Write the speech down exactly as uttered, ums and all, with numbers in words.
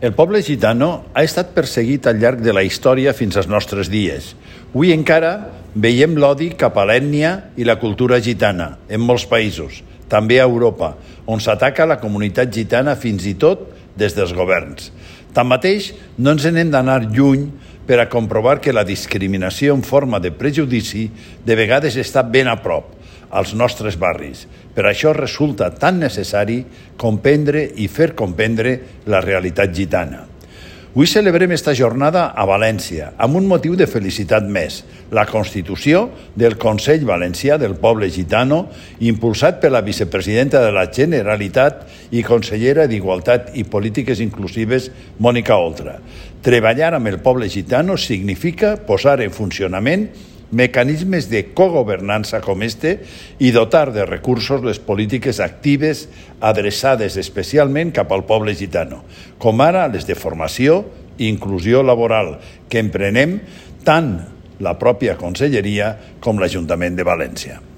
El poble gitano ha estat perseguit al llarg de la història fins als nostres dies. Avui encara veiem l'odi cap a l'ètnia i la cultura gitana en molts països, també a Europa, on s'ataca la comunitat gitana fins i tot des dels governs. Tanmateix, no ens n'hem d'anar lluny per a comprovar que la discriminació en forma de prejudici de vegades està ben a prop, als nostres barris. Per això resulta tan necessari comprendre i fer comprendre la realitat gitana. Avui celebrem esta jornada a València, amb un motiu de felicitat més, la constitució del Consell Valencià del Poble Gitano, impulsat per la vicepresidenta de la Generalitat i consellera d'Igualtat i Polítiques Inclusives, Mònica Oltra. Treballar amb el poble gitano significa posar en funcionament mecanismes de cogovernança com este i dotar de recursos les polítiques actives adreçades especialment cap al poble gitano, com ara les de formació i inclusió laboral, que emprenem tant la pròpia Conselleria com l'Ajuntament de València.